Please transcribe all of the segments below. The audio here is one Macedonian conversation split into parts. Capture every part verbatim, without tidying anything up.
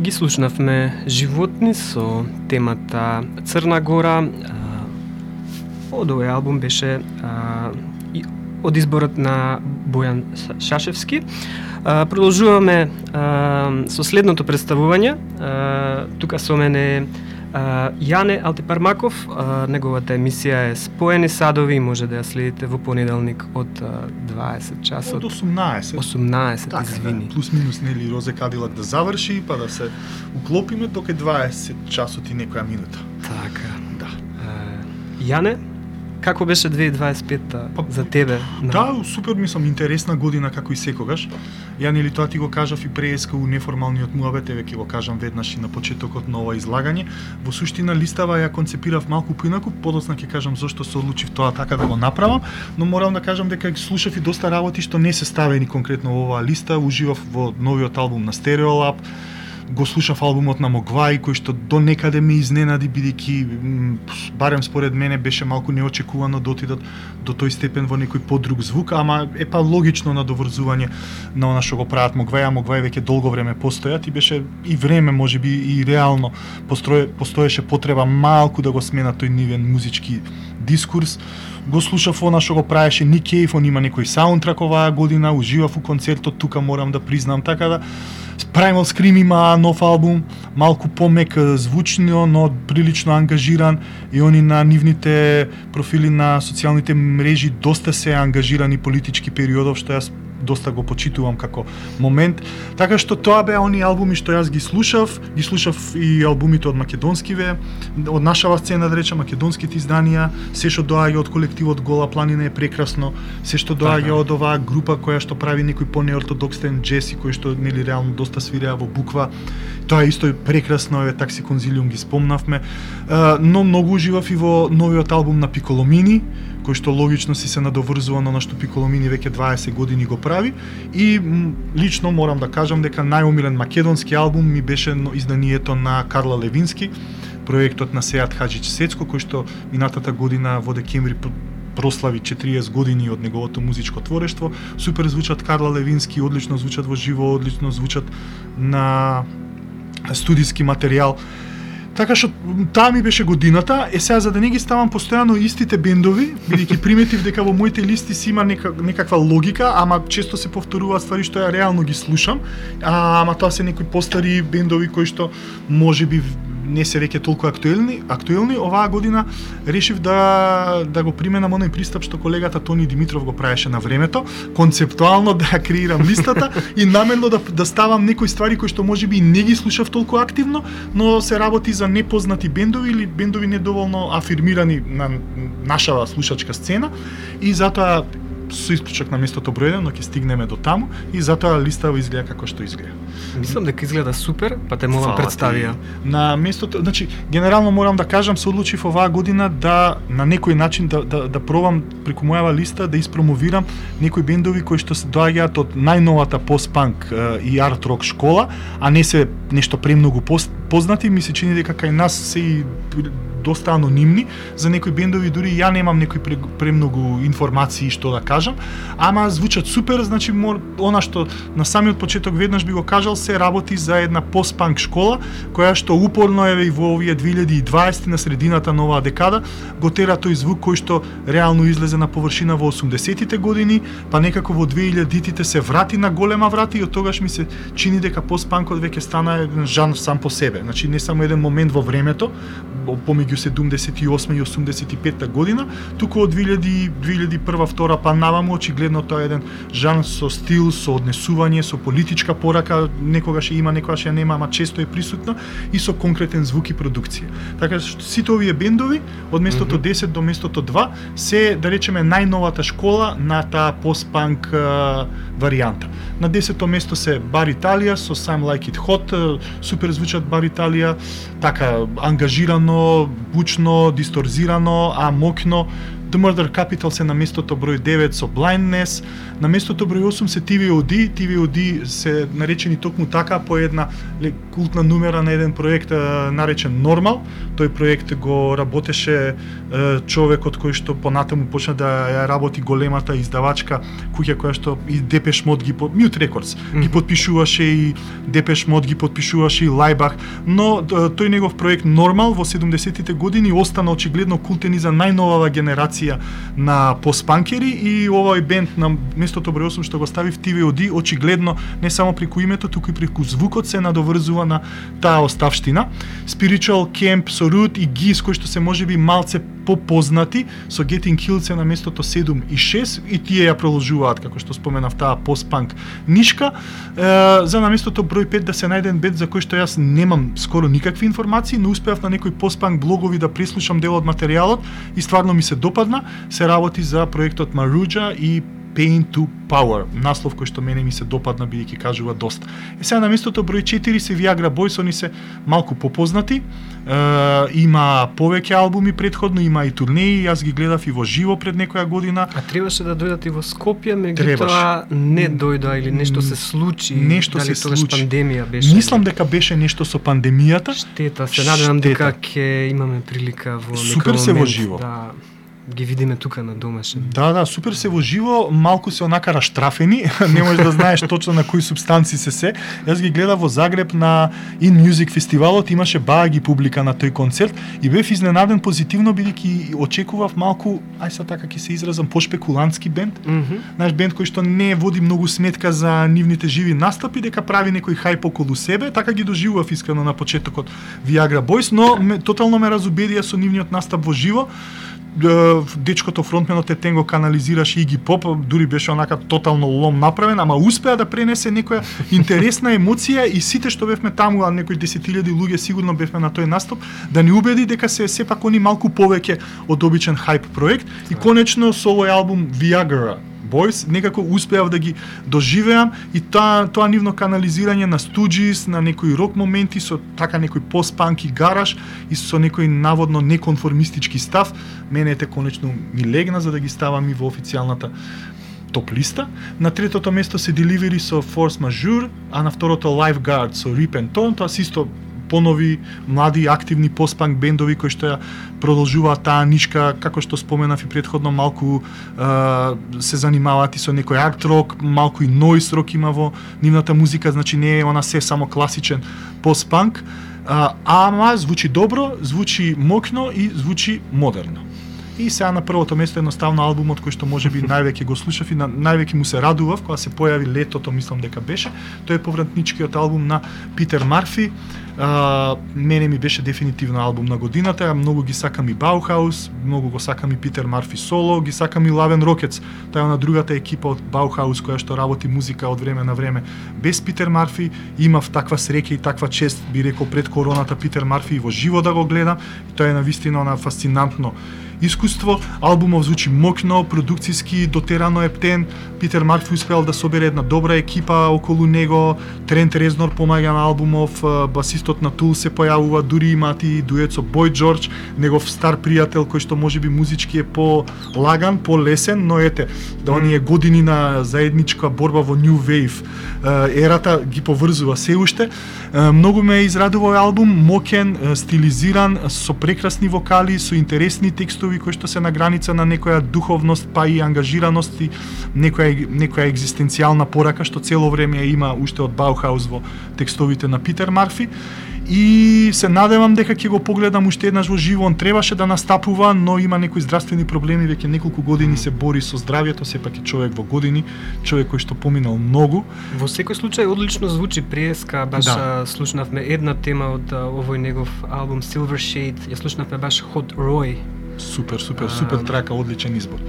ги слушнавме животни со темата Црна Гора. Од овој албум беше а, од изборот на Бојан Шашевски. А, продолжуваме а, со следното представување. А, тука со мене а, Јане Алтипармаков. А, неговата емисија е Споени садови и може да ја следите во понеделник од дваесет часот. Од осумнаесет. осумнаесет, така, извини. Да, плюс минус нели Розе Кадилак да заврши, па да се уклопиме тока дваесет часот и некоја минута. Така. Да. А, Јане, како беше две илјади дваесет и пета па, за тебе? На... Да, супер, мислам, интересна година како и секогаш. Ја нели тоа ти го кажав и преска у неформалниот муабет, еве ќе го кажам веднаш и на почетокот на ова излагање. Во суштина листава ја концепирав малку поинаку, подоцна ќе кажам зошто се одлучив тоа така да го направам, но морам да кажам дека слушав и доста работи што не се ставени конкретно во оваа листа, уживав во новиот албум на Stereolab. Го слушав албумот на Могваи, кој што до некаде ме изненади, бидејќи барем според мене беше малку неочекувано да отидат до тој степен во некој подруг звук, ама е па логично надоврзување на она што го прават Могваи, а Могваи веќе долго време постојат и беше и време можеби и реално постоje, постоеше потреба малку да го смена тој нивен музички дискурс. Го слушав она што го правеше Ник Кейв, он има некој саундтрак оваа година, уживав у концертот, тука морам да признам, така да Primal Scream има нов албум, малку помек звучно, но прилично ангажиран и они на нивните профили на социјалните мрежи доста се ангажирани политички периодов, што јас доста го почитувам како момент. Така што тоа беа они албуми што јас ги слушав, ги слушав и албумите од македонскиве, од нашава сцена да речем, македонските изданија, се што доаѓа од колективот Гола планина е прекрасно, се што доаѓа од оваа група која што прави некој понеортодоксен джез и кој што нели реално доста свиреа во буква. Тоа е исто прекрасно, еве такси конзилиум ги спомнавме, но многу уживав и во новиот албум на Пиколомини, кој што логично си се надоврзува на што Пиколомини веќе дваесет години го прави, и лично морам да кажам дека најомилен македонски албум ми беше изданието на Карла Левински, проектот на Сеат Хаџич Сецко, кој што минатата година во декември прослави четириесет години од неговото музичко творештво. Супер звучат Карла Левински, одлично звучат во живо, одлично звучат на студиски материјал. Така што таа ми беше годината. Е сега за да не ги ставам постојано истите бендови, бидејќи приметив дека во моите листи си има нека, некаква логика, ама често се повторуваат ствари што ја реално ги слушам, а, ама тоа се некои постари бендови кои што можеби не се веќе толку актуелни, актуелни. Оваа година решив да да го применам оној пристап што колегата Тони Димитров го правеше на времето, концептуално да ја креирам листата и намерно да да ставам некои ствари кои што можеби не ги слушав толку активно, но се работи за непознати бендови или бендови недоволно афирмирани на нашава слушачка сцена, и затоа со исклучок на местото број еден, но ќе стигнеме до таму, и затоа листава изгледа како што изгледа. Мислам дека изгледа супер, па те молам представија. На местото, значи генерално морам да кажам, се одлучив оваа година да на некој начин да да да пробам преку мојава листа да испромовирам некои бендови кои што се доаѓаат од најновата пост-панк и арт рок школа, а не се нешто премногу познати. Ми се чини дека кај нас се и доста анонимни за некои бендови, дури ја немам некои премногу информации што да кажам, ама звучат супер. Значи мор, она што на самиот почеток веднаш би го кажал, се работи за една пост-панк школа која што упорно еве и во овие две илјади и дваесет на средината на оваа декада го тера тој звук кој што реално излезе на површина во осумдесетите години, па некако во две илјадитите се врати на голема врата, и од тогаш ми се чини дека пост-панкот веќе стана еден жанр сам по себе. Значи не само еден момент во времето помеѓу седумдесет и осма и осумдесет и петта година, туку од две илјади, две илјади и прва, втора па наваму очигледно тоа е еден жанр со стил, со однесување, со политичка порака, некогаш има, некогаш ја нема, ама често е присутна, и со конкретен звук и продукција. Така што сите овие бендови од местото десет до местото два се, да речеме, најновата школа на таа пост-панк варијанта. На десето место се Бар Италија со Some Like It Hot, супер звучат Бар Италија, така ангажирано, бучно, дисторзирано, а мокно, The Murder Capital се на местото број девет со Blindness, на местото број осум се Ти Ви О Ди, Ти Ви О Ди се наречени токму така по една култна numера на еден проект наречен Normal. Тој проект го работеше човекот кој што понатаму почна да ја работи големата издавачка куќа која што и Депеш Мод ги под Mute Records mm-hmm. ги подпишуваше и Депеш Мод ги подпишуваше и Лајбах, но тој негов проект Normal во седумдесетите години остана очигледно култен и за најновава генерација на постпанкери и овој бенд на местото број осум што го стави в Ти Ви О Ди очигледно не само преку името, туку и преку звукот се надоврзува на таа оставштина. Spiritual Camp со Root и Гис кои што се можеби малце попознати со Getting Killed се на местото седум и шест и тие ја продолжуваат како што споменав таа постпанк нишка. Е, за на местото број пет да се најде бенд за кој што јас немам скоро никакви информации, но успеав на некои постпанк блогови да преслушам дел од материјалот и стварно ми се допадна. Се работи за проектот Maruja и Pain to Power, наслов кој што мене ми се допадна бидејќи кажува доста. Е сега на местото број четири се Viagra Boys, они се малку попознати. Е, има повеќе албуми претходно, има и турнеи, јас ги гледав и во живо пред некоја година. А требаше да дојдат и во Скопје, меѓутоа не дојдоа или нешто се случи. Нешто дали се тогаш случи. Пандемија беше. Мислам дека беше нешто со пандемијата. Штета, се надевам дека ќе имаме прилика во некој Супер се момент во живо. да ги видиме тука на домашен. Да, да, супер се во живо, малку се онака раштрафени, не можеш да знаеш точно на кои субстанци се се. Јас ги гледав во Загреб на In Music фестивалот, имаше баги публика на тој концерт и бев изненаден позитивно бидејќи очекував малку, ај са така ќе се изразам, пошпекулантски бенд. Mm -hmm. Наш бенд кој што не води многу сметка за нивните живи настапи, дека прави некој хајп околу себе, така ги доживував искрено на почетокот Viagra Boys, но ме, тотално ме разубедија со нивниот настап во живо. Дечкото фронтменот е тенго канализираше Иги Поп, дури беше онака тотално лом направен, ама успеа да пренесе некоја интересна емоција и сите што бевме таму, а некои десетилјади луѓе сигурно бевме на тој настап, да ни убеди дека се сепак они малку повеќе од обичен хајп проект и конечно со овој албум Viagra Boys некако успеав да ги доживеам и тоа тоа нивно канализирање на стуџис, на некои рок моменти со така некој постпанк и гараж и со некој наводно неконформистички став, мене ете конечно ми легна за да ги ставам и во официјалната топ листа. На третото место се Delivery со Force Majeure, а на второто Lifeguard со Rip and Torn, тоа исто понови, млади, активни постпанк бендови кои што ја продолжуваат таа нишка, како што споменав и претходно, малку е, се занимаваат и со некој арт рок, малку и нойз рок има во нивната музика, значи не е она се само класичен постпанк, ама звучи добро, звучи мокно и звучи модерно. И сега на првото место едноставно албумот кој што можеби највеќе го слушав и на, највеќе му се радував кога се појави летото, мислам дека беше. Тој е повратничкиот албум на Питер Марфи. А, мене ми беше дефинитивно албум на годината. Многу ги сакам и Баухаус, многу го сакам и Питер Марфи соло, ги сакам и Лавен Рокетс. Тоа е на другата екипа од Баухаус која што работи музика од време на време без Питер Марфи. Имав таква среќа и таква чест, би рекол пред короната, Питер Марфи и во живо да го гледам. Тоа е навистина на фасцинантно искуство. Албумов звучи мокно, продукциски, дотерано ептен. Питер Марфи успеал да собере една добра екипа околу него. Трент Резнор помаѓа на албумов, басистот на Тул се појавува, дури имаат и дует со Бој Џорџ, негов стар пријател кој што можеби музички е по-лаган, по-лесен, но ете, да оние години на заедничка борба во New Wave ерата ги поврзува се уште. Многу ме израдува овој албум, мокен, стилизиран, со прекрасни вокали, со интересни текстови кои што се на граница на некоја духовност, па и ангажираност и некоја некоја екзистенцијална порака што цело време има уште од Баухаус во текстовите на Питер Марфи. И се надевам дека ќе го погледам уште еднаш во живо. Он требаше да настапува, но има некои здравствени проблеми, веќе неколку години се бори со здравјето, сепак е човек во години, човек кој што поминал многу. Во секој случај одлично звучи преска, баш да. Слушнавме една тема од овој негов албум Silver Shade, ја слушнавме баш Hot Roy. Супер, супер, супер трака, одличен избор.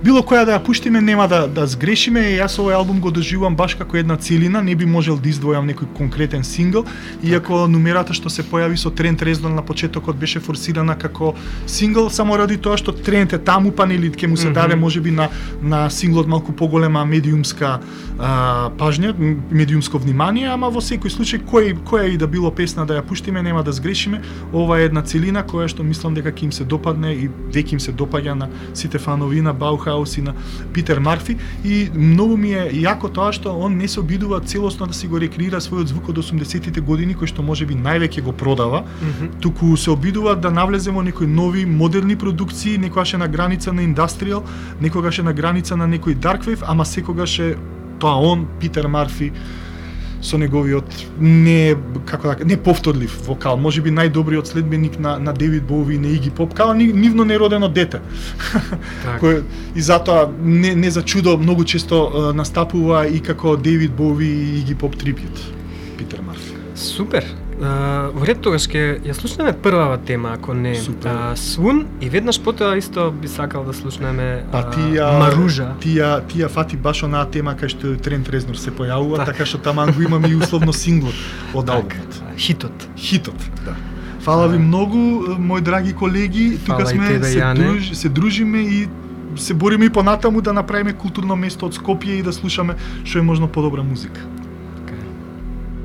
Било која да ја пуштиме, нема да да сгрешиме, и јас овој албум го доживувам баш како една целина, не би можел да издвојам некој конкретен сингл, иако нумерата што се појави со Трент Резнор на почетокот беше форсирана како сингл, само ради тоа што Трент е таму, па нели ќе му се даде можеби на на синглот малку поголема медиумска а, пажња, медиумско внимание, ама во секој случај кој која и да било песна да ја пуштиме, нема да сгрешиме. Ова е една целина која што мислам дека ќе им се допадне и веќе им се допаѓа на сите фанови на Баухаус и на Питер Марфи, и многу ми е јако тоа што он не се обидува целосно да си го рекреира својот звук од осумдесетите години, кој што можеби највеќе го продава, Мгм. туку се обидува да навлезе во некои нови модерни продукции, некогаш е на граница на индастријал, некогаш е на граница на некој дарквейв, ама секогаш е тоа он, Питер Марфи, со неговиот не како да не повторлив вокал, можеби најдобриот следбеник на на Девид Боуи и на Иги Поп, као ни- нивно неродено дете. Така. Кој и затоа не не за чудо многу често е, настапува и како Девид Боуи и Иги Поп трибют. Питер Марфи. Супер. А, во ред тогаш ќе ја слушнеме првава тема, ако не Супер. а, Свун, и веднаш потоа исто би сакал да слушнеме Па а, тија Маружа. Тија тија фати баш онаа тема кај што Трент Резнор се појавува, Така. така што таман го имаме и условно синглот од албумот. Так, хитот. Хитот, да. Фала ви А. многу, мои драги колеги, тука Фала и сме, тебе, се, Јане. друж, се дружиме и се бориме и понатаму да направиме културно место од Скопје и да слушаме што е можно подобра музика.